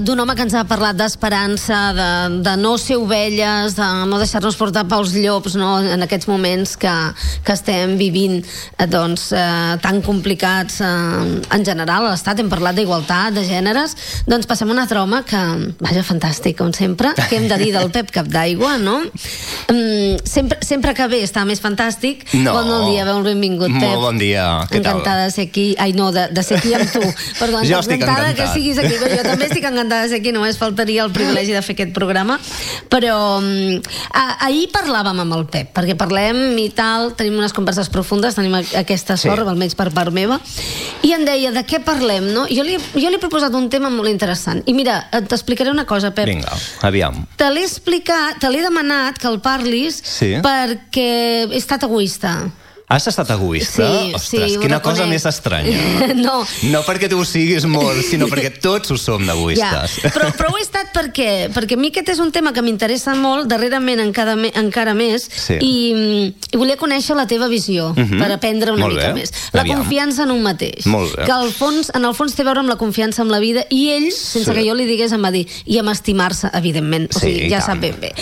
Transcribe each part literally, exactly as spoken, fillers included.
d'un home que ens ha parlat d'esperança, de, de no ser ovelles, de no deixar-nos portar pels llops, no? En aquests moments que, que estem vivint eh, doncs, eh, tan complicats eh, en general a l'Estat. Hem parlat d'igualtat, de gèneres. Doncs passem a un altre home que, vaja, fantàstic, com sempre. Què hem de dir del Pep Capdaigua, no? Um, sempre, sempre que ve està més fantàstic. No. Bon dia, benvingut, Pep. Molt bon dia, què tal? Encantada de ser aquí. Ai, no, de, de ser aquí amb tu. Perdó, jo estic encantada encantat. Que siguis aquí. Jo també estic encantada de ser aquí, només faltaria el privilegi de fer aquest programa. Però um, ahir parlàvem amb el Pep, perquè parlem i tal, tenim unes converses profundes, tenim aquesta sort, sí. Almenys per part meva, i em deia, de què parlem, no? Jo li, jo li he proposat un tema molt interessant. I mira, t'explicaré una cosa, Pep. Vinga, aviam. Te l'he explicat, te l'he demanat que el parlis sí. perquè he estat egoista. Has estat egoista? Sí, Ostres, sí, quina cosa més estranya. No. No perquè tu ho siguis molt, sinó perquè tots ho som d'egoistes. Ja, però, però ho he estat per què? Perquè a mi aquest és un tema que m'interessa molt, darrerament encara, encara més, sí. i, i volia conèixer la teva visió, uh-huh. per aprendre una molt mica bé. més. La Aviam. Confiança en un mateix. Molt bé. Que al fons, en el fons té a veure amb la confiança en la vida, i ell, sense sí. que jo li digués, em va dir, i amb estimar-se, evidentment. O sigui, sí, ja tant. sap ben bé.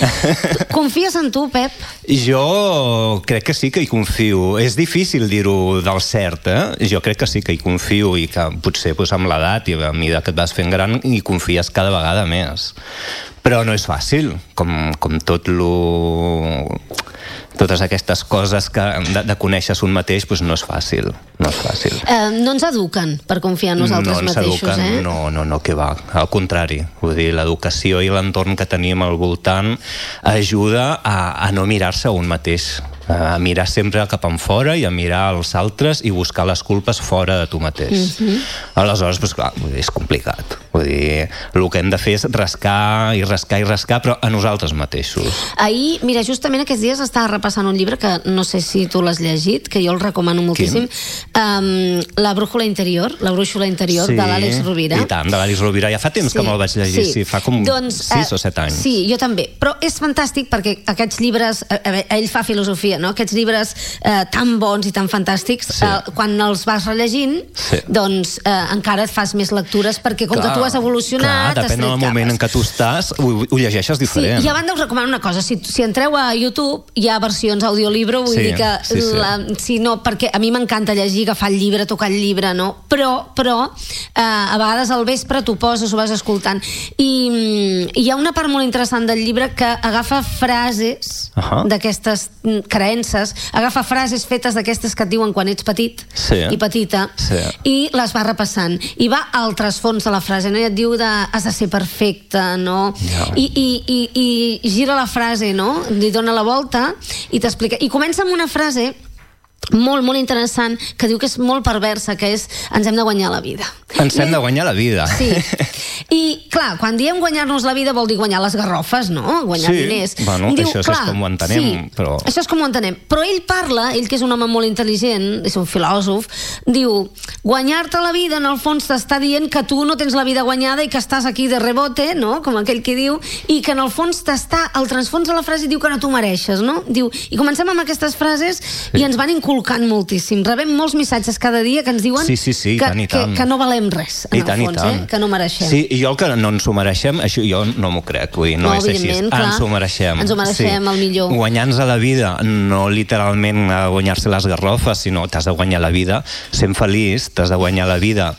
Confies en tu, Pep? Jo crec que sí que hi confio. És difícil dir-ho del cert, eh? Jo crec que sí que hi confio i que potser pues, amb l'edat i a mesura que et vas fent gran hi confies cada vegada més. Però no és fàcil, com, com tot lo... totes aquestes coses que de, de conèixer un mateix, pues no és fàcil. No és fàcil. Eh, no ens eduquen per confiar en nosaltres no mateixos, eduquen, eh? No, no, no, que va. Al contrari. Vull dir, l'educació i l'entorn que tenim al voltant ajuda a, a no mirar-se a un mateix, a mirar sempre cap enfora i a mirar els altres i buscar les culpes fora de tu mateix. Mm-hmm. Aleshores, pues, clar, és complicat. Vull dir, el que hem de fer és rascar i rascar i rascar, però a nosaltres mateixos. Ahir, mira, justament aquests dies estava repassant un llibre que no sé si tu l'has llegit, que jo el recomano moltíssim. Um, La brújula interior, La brújula interior, sí, de l'Àlex Rovira. I tant, de l'Àlex Rovira. Ja fa temps sí, que me'l vaig llegir, sí, sí fa com doncs, sis uh, o set anys. Sí, jo també. Però és fantàstic perquè aquests llibres, eh, ell fa filosofia, no? Aquests llibres eh, tan bons i tan fantàstics, sí. eh, quan els vas rellegint, sí. doncs eh, encara et fas més lectures perquè com clar, que tu has evolucionat... Clar, depèn del moment en què tu estàs, ho, ho llegeixes diferent. Sí, i a banda us recomano una cosa, si, si entreu a YouTube hi ha versions audiolibro, vull sí, dir que sí, sí. La, si no, perquè a mi m'encanta llegir, agafar el llibre, tocar el llibre, no? Però, però eh, a vegades al vespre t'ho poses, ho vas escoltant. I, i hi ha una part molt interessant del llibre que agafa frases uh-huh. d'aquestes creences, agafa frases fetes d'aquestes que et diuen quan ets petit sí. i petita sí. i les va repassant i va al trasfons de la frase, no? I et diu de, has de ser perfecte, no? Yeah. I, i, i, i gira la frase, no? Li dona la volta i t'explica, i comença amb una frase molt, molt interessant, que diu que és molt perversa, que és, ens hem de guanyar la vida. Ens hem de guanyar la vida. Sí. I, clar, quan diem guanyar-nos la vida vol dir guanyar les garrofes, no? Guanyar sí. diners. Bueno, diu, això clar, és com ho entenem, sí, però... això és com ho entenem. Però ell parla, ell que és un home molt intel·ligent, és un filòsof, diu, guanyar-te la vida, en el fons t'està dient que tu no tens la vida guanyada i que estàs aquí de rebote, no? Com aquell que diu, i que en el fons t'està, al transfons de la frase diu que no t'ho mereixes, no? Diu, i comencem amb aquestes frases sí. i ens van inculcant moltíssim. Rebem molts missatges cada dia que ens diuen sí, sí, sí, que, tant, que, que no valem res, en I tant, el fons, eh? Que no mereixem. Sí, i jo el que no ens ho mereixem, això jo no m'ho crec, vull dir, no, no és així. Clar, ens ho mereixem. Ens ho mereixem, sí. El millor. Guanyar-nos la vida, no literalment a guanyar-se les garrofes, sinó t'has de guanyar la vida sent feliç, t'has de guanyar la vida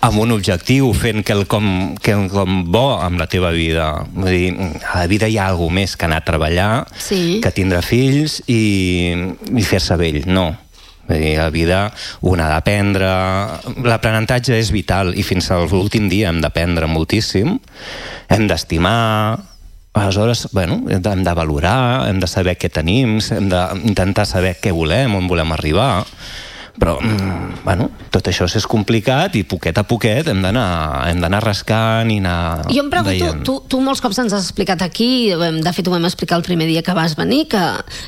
amb un objectiu, fent quelcom, quelcom bo amb la teva vida. Vull dir, a la vida hi ha alguna més que anar a treballar, sí. que tindre fills i, i fer-se vell, no. Vull dir, la vida un ha d'aprendre, l'aprenentatge és vital i fins a l'últim dia hem d'aprendre moltíssim, hem d'estimar, aleshores, bueno, hem de valorar, hem de saber què tenim, hem d'intentar saber què volem, on volem arribar, però, bueno, tot això és complicat i poquet a poquet hem d'anar hem d'anar rascant i anar jo em pregunto, veient. tu, tu molts cops ens has explicat aquí, de fet ho vam explicar el primer dia que vas venir, que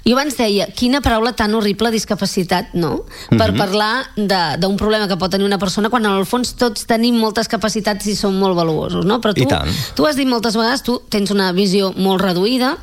jo abans deia, quina paraula tan horrible, discapacitat, no? Per mm-hmm. parlar d'un problema que pot tenir una persona quan en el fons tots tenim moltes capacitats i som molt valuosos, no? Però tu, tu has dit moltes vegades, tu tens una visió molt reduïda.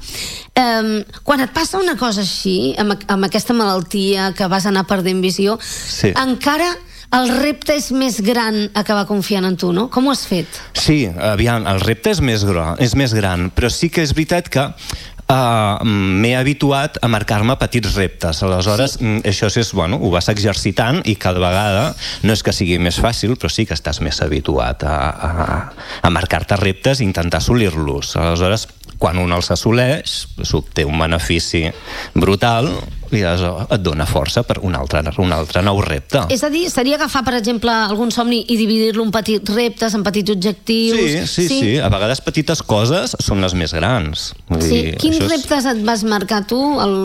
Um, quan et passa una cosa així, amb, amb aquesta malaltia que vas anar perdent visió, sí. encara el repte és més gran acabar confiant en tu, no? Com ho has fet? Sí, aviam, el repte és més gran, és més gran, però sí que és veritat que uh, m'he habituat a marcar-me petits reptes. Aleshores, sí. això és, bueno, ho vas exercitant i cada vegada no és que sigui més fàcil, però sí que estàs més habituat a, a, a marcar-te reptes i intentar assolir-los. Aleshores, quan un els assoleix, té un benefici brutal i et dona força per un altre, un altre nou repte. És a dir, seria agafar, per exemple, algun somni i dividir-lo en petits reptes, en petits objectius... Sí, sí, sí. sí. A vegades petites coses són les més grans. Vull sí. dir, Quins és... reptes et vas marcar tu al,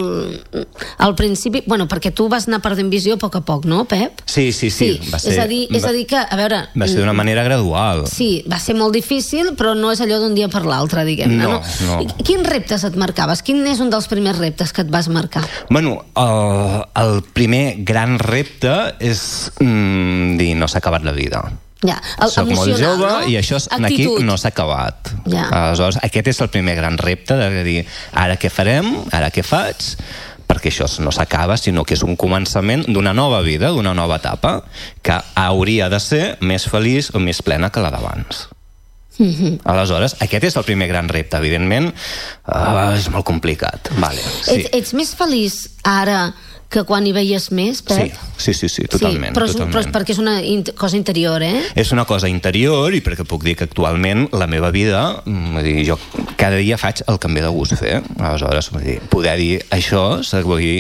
al principi? Bueno, perquè tu vas anar perdent visió a poc a poc, no, Pep? Sí, sí, sí. sí. Va ser, és, a dir, és a dir que, a veure... Va ser d'una manera gradual. Sí, va ser molt difícil, però no és allò d'un dia per l'altre, diguem-ne, no? No, no. Quins reptes et marcaves? Quin és un dels primers reptes que et vas marcar? Bueno, el... el primer gran repte és mm, dir, no s'ha acabat la vida. Ja, el, soc molt jove, no? I això aquí Actitud. no s'ha acabat. Ja. Aleshores, aquest és el primer gran repte de dir, ara què farem, ara què faig, perquè això no s'acaba, sinó que és un començament d'una nova vida, d'una nova etapa, que hauria de ser més feliç o més plena que la d'abans. Mm-hmm. Aleshores, aquest és el primer gran repte. Evidentment, uh, és molt complicat. Vale, sí. ets, ets més feliç ara que quan hi veies més, Pep? Sí, sí, sí, sí totalment. Sí, però, és, totalment. però és perquè és una in cosa interior, eh? És una cosa interior i perquè puc dir que actualment la meva vida, vull dir, jo cada dia faig el que em ve de gust fer. Aleshores, vull dir, poder dir això, vull dir,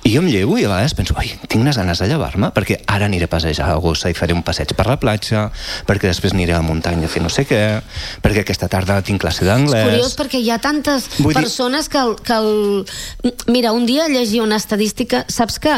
i jo em llevo i a vegades penso, oi, tinc unes ganes de llevar-me perquè ara aniré a passejar a Gossa i faré un passeig per la platja, perquè després aniré a la muntanya a fer no sé què, perquè aquesta tarda tinc classe d'anglès. És curiós perquè hi ha tantes vull persones dir... que, el, que el... Mira, un dia llegia una estadística. Saps que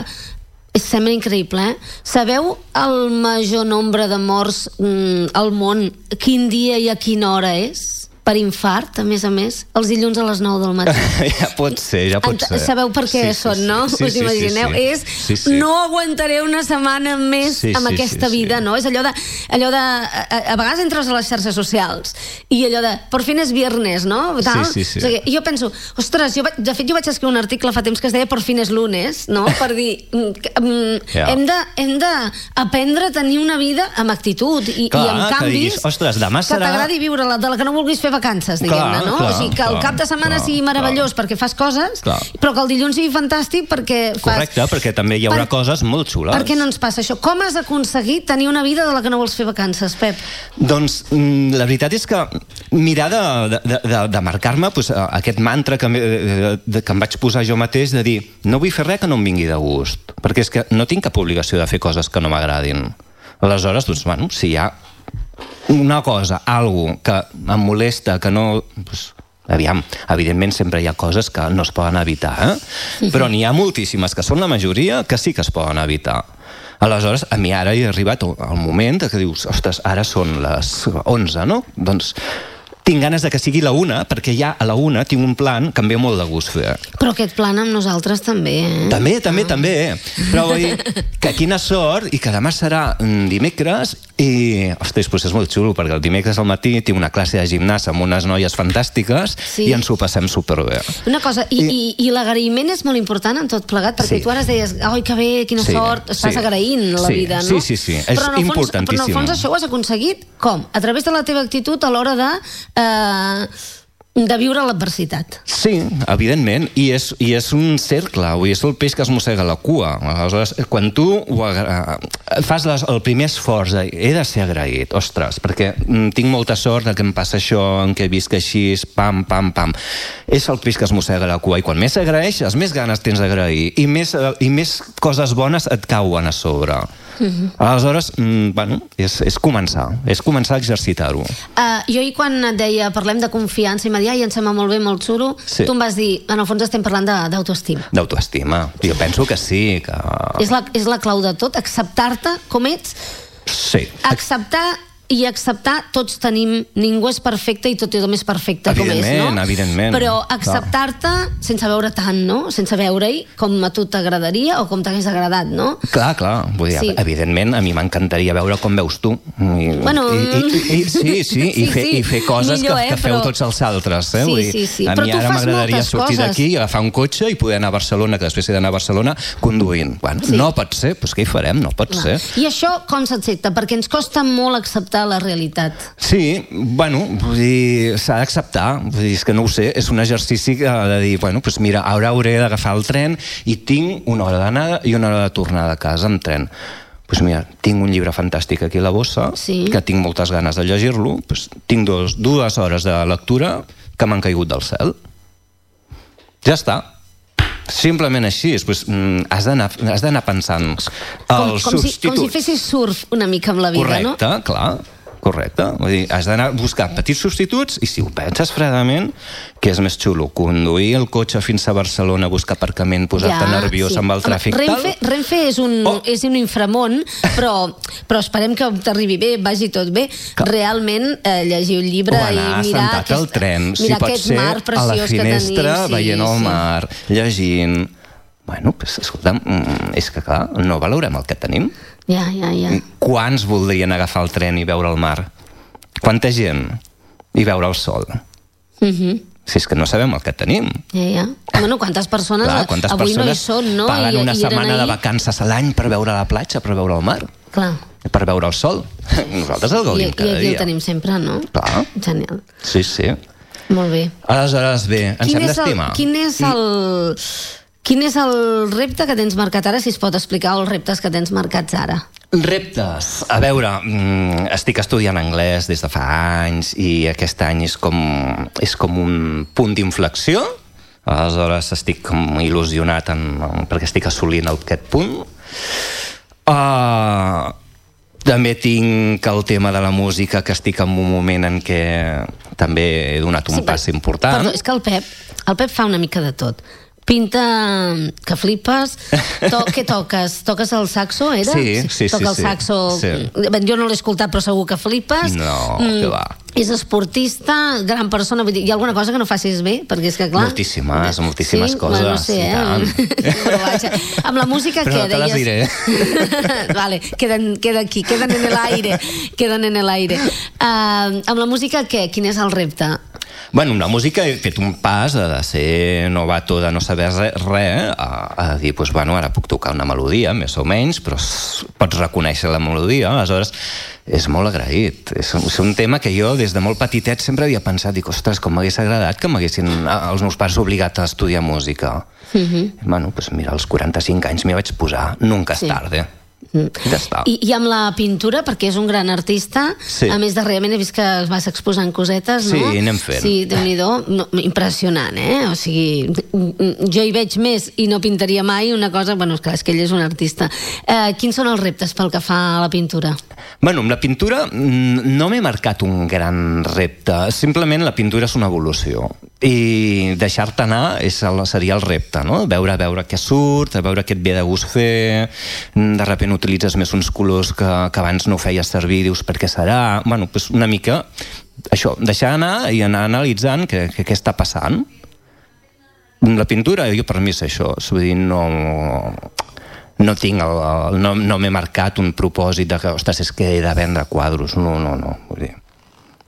sembla increïble, eh? Sabeu el major nombre de morts mm, al món, quin dia i a quina hora és? Per infart, a més a més, els dilluns a les nou del matí. Ja pot ser, ja pot ser. Sabeu per què sí, són, sí, no? Sí, Us imagineu? Sí, sí. És, sí, sí. no aguantaré una setmana més sí, amb sí, aquesta sí, vida, sí. no? És allò de... Allò de a, a vegades entres a les xarxes socials i allò de, por fin és viernes, no? Tal? Sí, sí, sí. O sigui, jo penso, ostres, jo, de fet jo vaig escriure un article fa temps que es deia por fin és lunes, no? Per dir, mm, yeah. hem, de, hem de aprendre a tenir una vida amb actitud i, clar, i amb canvis que, diguis, ostres, demà serà... que t'agradi viure la, de la que no vulguis fer vacances, diguem. Clar, No? clar, o sigui, que el clar, cap de setmana clar, sigui meravellós clar. Perquè fas coses, clar. Però que el dilluns sigui fantàstic perquè fas... Correcte, perquè també hi haurà per... coses molt xules. Per què no ens passa això? Com has aconseguit tenir una vida de la que no vols fer vacances, Pep? Doncs la veritat és que mirar de, de, de, de marcar-me pues, aquest mantra que, de, de, que em vaig posar jo mateix de dir, no vull fer res que no em vingui de gust, perquè és que no tinc cap obligació de fer coses que no m'agradin. Aleshores, doncs, bueno, si hi ha una cosa, algo que em molesta, que no... Pues, aviam, evidentment sempre hi ha coses que no es poden evitar, eh? Però n'hi ha moltíssimes, que són la majoria, que sí que es poden evitar. Aleshores, a mi ara he arribat al moment que dius, ostres, ara són les onze, no? Doncs tinc ganes de que sigui la una, perquè ja a la una tinc un plan que em ve molt de gust fer. Però aquest plan amb nosaltres també, eh? També, també, ah. també. Però vull dir que quina sort, i que demà serà dimecres, i, ostres, doncs és molt xulo, perquè el dimecres al matí tinc una classe de gimnàs amb unes noies fantàstiques sí. i ens ho passem superbé. Una cosa, i, I, i l'agraïment és molt important en tot plegat, perquè sí. tu ara deies, oi, que bé, quina sí, sort, estàs sí. agraint la sí, vida, no? Sí, sí, sí, és però importantíssim. Però en el fons això ho has aconseguit, com? A través de la teva actitud a l'hora de... Eh, de viure l'adversitat. Sí, evidentment, i és, i és un cercle, és el peix que es mossega la cua. Aleshores, quan tu ho agra... fas les, el primer esforç de, he de ser agraït, ostres, perquè tinc molta sort de que em passa això, en què visc així, pam, pam, pam. És el peix que es mossega la cua, i quan més agraeixes, més ganes tens d'agrair, i més, i més coses bones et cauen a sobre. Uh-huh. Aleshores, mm, bueno, és, és començar, és començar a exercitar-ho. Uh, jo i quan et deia, parlem de confiança, i m'ha dit, ai, em sembla molt bé, molt xulo, sí. tu em vas dir, en el fons estem parlant d'autoestima. D'autoestima, jo penso que sí. Que... És, la, és la clau de tot, acceptar-te com ets, sí. acceptar i acceptar, tots tenim, ningú és perfecte i tothom és perfecte com és, no? Evidentment, evidentment. Però acceptar-te sense veure tant, no? Sense veure-hi com a tu t'agradaria o com t'hagués agradat, no? Clar, clar, vull dir, sí. Evidentment a mi m'encantaria veure com veus tu. I, bueno, i, i, i, sí, sí, sí, i, fer, sí. i fer coses millor, que, eh, que feu però... tots els altres. Eh? Sí, vull dir, sí, sí. a Però mi ara m'agradaria sortir d'aquí i agafar un cotxe i poder anar a Barcelona, que després he d'anar a Barcelona conduint. Bueno, sí. No pot ser, doncs què hi farem? No pot clar. ser. I això com s'accepta? Perquè ens costa molt acceptar la realitat. Sí, bueno, vull dir, s'ha d'acceptar. Vull dir, és que no ho sé, és un exercici de dir, bueno, doncs mira, ara hauré d'agafar el tren i tinc una hora d'anada i una hora de tornada a casa amb tren. Doncs pues mira, tinc un llibre fantàstic aquí a la bossa, sí. que tinc moltes ganes de llegir-lo, pues tinc dos, dues hores de lectura que m'han caigut del cel. Ja està. Simplement així, pues, has d'anar pensant com, els com substituts. Si, com si fessis surf una mica amb la vida, correcte, no? Correcte, clar. Correcte, vull dir, has d'anar a buscar petits substituts i si ho penses fredament, que és més xulo, conduir el cotxe fins a Barcelona, buscar aparcament, posar-te ja, nerviós sí. amb el tràfic. Home, Renfe, tal... Renfe és un, oh. és un inframón, però, però esperem que t'arribi bé, vagi tot bé. Que... Realment, eh, llegir un llibre i mirar aquest, al tren, mirar si aquest mar preciós que tenim. A la finestra, sí, veient el sí. mar, llegint... Bueno, pues, escolta'm, és que clar, no valorem el que tenim. Ja, ja, ja. Quants voldrien agafar el tren i veure el mar? Quanta gent? I veure el sol? Mhm. Si és que no sabem el que tenim. Ja, ja. Bueno, quantes persones, clar, quantes avui persones no hi són, no? Paguen I, una i setmana de vacances a l'any per veure la platja, per veure el mar. Clar. Per veure el sol. Nosaltres el gaudim I, cada dia. I aquí el tenim sempre, no? Clar. Genial. Sí, sí. Molt bé. Aleshores, bé, ens hem d'estimar. Quin és el... Quin és el repte que tens marcat ara, si es pot explicar, els reptes que tens marcats ara? Reptes. A veure, estic estudiant anglès des de fa anys i aquest any és com, és com un punt d'inflexió. Aleshores estic com il·lusionat en, perquè estic assolint aquest punt. Uh, també tinc el tema de la música, que estic en un moment en què també he donat un sí, pas per, important. Perdó, és que el Pep, el Pep fa una mica de tot. Pinta que flipes. To què toques? Toques el saxo, era? Sí, sí, sí. Toca el saxo... Sí. Jo no l'he escoltat, però segur que flipes. No, mm, que va. És esportista, gran persona. Vull dir, hi ha alguna cosa que no facis bé? Perquè és que, clar... Moltíssimes, moltíssimes sí? coses. Bueno, no sé, eh? Però vaja, amb la música però què no te les deies? diré. Vale, queden, queda aquí, queden en l'aire. Queden en l'aire. Uh, amb la música què? Quin és el repte? Bueno, amb la música he fet un pas de ser novato, de no saber res, re, a, a dir, pues, bueno, ara puc tocar una melodia, més o menys, però pots reconèixer la melodia, aleshores és molt agraït. És, és un tema que jo des de molt petitet sempre havia pensat, dic, ostres, com m'hagués agradat que m'haguessin els meus pares obligat a estudiar música. Mm-hmm. Bueno, pues mira, als quaranta-cinc anys m'hi vaig posar, nunca és sí. tarde. Ja està. I, I amb la pintura, perquè és un gran artista, sí. A més darrerament he vist que vas exposant cosetes, no? Sí, anem fent. Sí, Déu-n'hi-do, no, impressionant, eh? O sigui, jo hi veig més i no pintaria mai una cosa... Bueno, és clar, és que ell és un artista. Eh, quins són els reptes pel que fa a la pintura? Bueno, amb la pintura no m'he marcat un gran repte, simplement la pintura és una evolució i deixar-te anar és el, seria el repte, no? Veure, veure què surt, veure què et ve de gust fer, de sobte utilitzes més uns colors que, que abans no feies servir, dius per què serà? Bueno, doncs una mica això, deixar anar i anar analitzant què, què, què està passant. La pintura, jo per mi és això, vull dir, no... no tinc el, el, no, no m'he marcat un propòsit de que, ostres, és que he de vendre quadros, no, no, no, vull dir,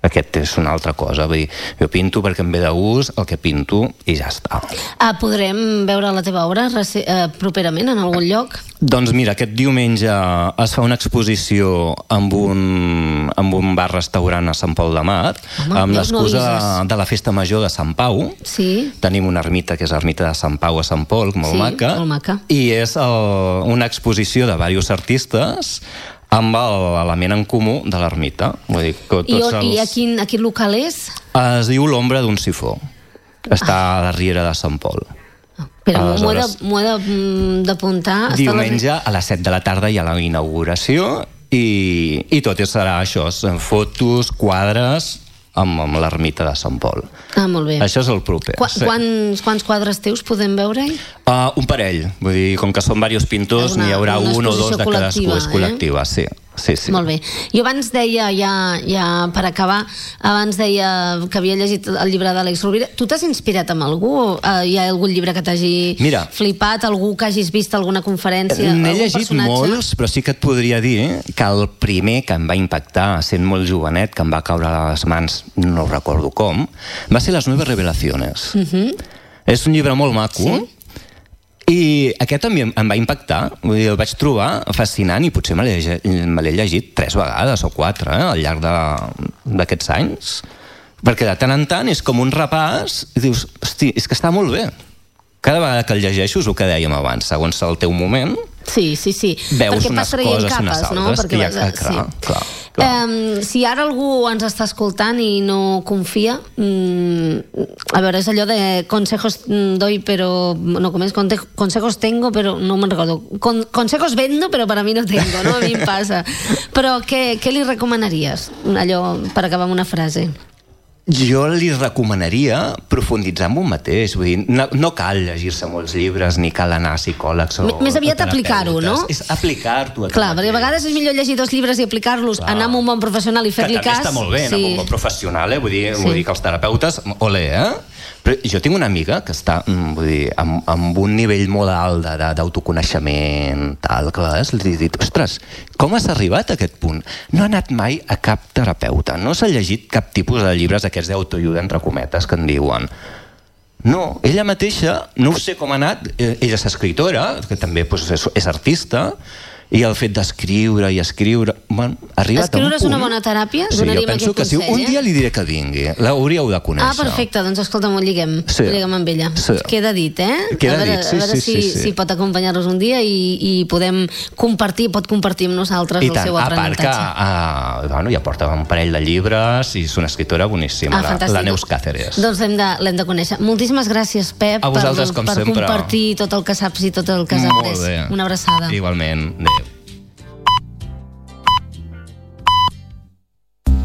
aquest és una altra cosa, vull dir, jo pinto perquè em ve de gust el que pinto i ja està. Ah, podrem veure la teva obra eh, properament en algun lloc? Doncs mira, aquest diumenge es fa una exposició amb un, amb un bar-restaurant a Sant Pol de Mar, home, amb l'excusa no de la Festa Major de Sant Pau. Sí. Tenim una ermita, que és l'ermita de Sant Pau a Sant Pol, molt sí, maca, molt maca. I és el, una exposició de diversos artistes amb l'element en comú de l'ermita. Vull dir que tots I, els... i a, quin, a quin local és? Es diu l'Ombra d'un sifó. Està ah. a la Riera de Sant Pol. Però aleshores, m'ho he d'apuntar. Diumenge a les set de la tarda hi ha la inauguració i, i tot serà això, fotos, quadres amb, amb l'ermita de Sant Pol. Ah, molt bé. Això és el proper. Qu sí. quants, quants quadres teus podem veure-hi? Uh, un parell. Vull dir, com que són diversos pintors, n'hi haurà un o dos de cadascú. És col·lectiva, eh? sí. Sí, sí. Molt bé. Jo abans deia, ja, ja per acabar, abans deia que havia llegit el llibre d'Àlex Rovira. Tu t'has inspirat amb algú? Uh, hi ha algun llibre que t'hagi Mira, flipat? Algú que hagis vist alguna conferència? N'he llegit personatge? molts, però sí que et podria dir que el primer que em va impactar, sent molt jovenet, que em va caure a les mans, no recordo com, va ser Les Nueves Revelaciones. Uh-huh. És un llibre molt maco, sí? I aquest també em va impactar, vull dir, el vaig trobar fascinant i potser me l'he, me l'he llegit tres vegades o quatre eh, al llarg d'aquests anys, perquè de tant en tant és com un repàs i dius, hosti, és que està molt bé. Cada vegada que el llegeixo és el que dèiem abans, segons el teu moment, sí, sí, sí. veus perquè unes coses i unes altres. No? Perquè ja, vas, clar, sí. clar, clar. Um, si ara algú ens està escoltant i no confia, um, a veure, és allò de consejos doy, però no, com és? Consejos tengo, però no me'n recordo. Con, consejos vendo, però per a mi no tengo, no? A mi em passa. Però què, què li recomanaries? Allò, per acabar amb una frase. Jo li recomanaria profunditzar en un mateix, vull dir, no, no cal llegir-se molts llibres ni cal anar a psicòlegs o més aviat aplicar-ho, no? És aplicar-t'ho. Clar, perquè a vegades és millor llegir dos llibres i aplicar-los, clar, anar amb un bon professional i fer-li cas. Que també està molt bé, anar sí. amb un bon professional, eh? Vull dir, sí. vull dir que els terapeutes, olé, eh? Però jo tinc una amiga que està, vull dir, amb, amb un nivell molt alt d'autoconeixement, tal, que a vegades li he dit, ostres, com has arribat a aquest punt? No ha anat mai a cap terapeuta, no s'ha llegit cap tipus de llibres aquests d'autoajuda, entre cometes, que en diuen. No, ella mateixa, no ho sé com ha anat, ella és escritora, que també doncs, és, és artista, i el fet d'escriure i escriure, bueno, ha arribat escriure a un punt... és una bona teràpia? Sí, jo penso que sí. Un dia li diré que vingui, l'hauríeu de conèixer. Ah, perfecte, doncs escolta'm, ho lliguem, sí. ho lliguem amb ella. Sí. Queda dit, eh? Queda a veure, dit, sí, a veure sí, si, sí, sí. si pot acompanyar-nos un dia i, i podem compartir, pot compartir amb nosaltres I el tant, seu aprenentatge. A part que, uh, bueno, ja porta un parell de llibres i és una escriptora boníssima, ah, la, la Neus Cáceres. Doncs l'hem de, l'hem de conèixer. Moltíssimes gràcies, Pep, a vosaltres, per, com per sempre. compartir tot el que saps i tot el que has après. Una abraçada. Igualment. Adéu.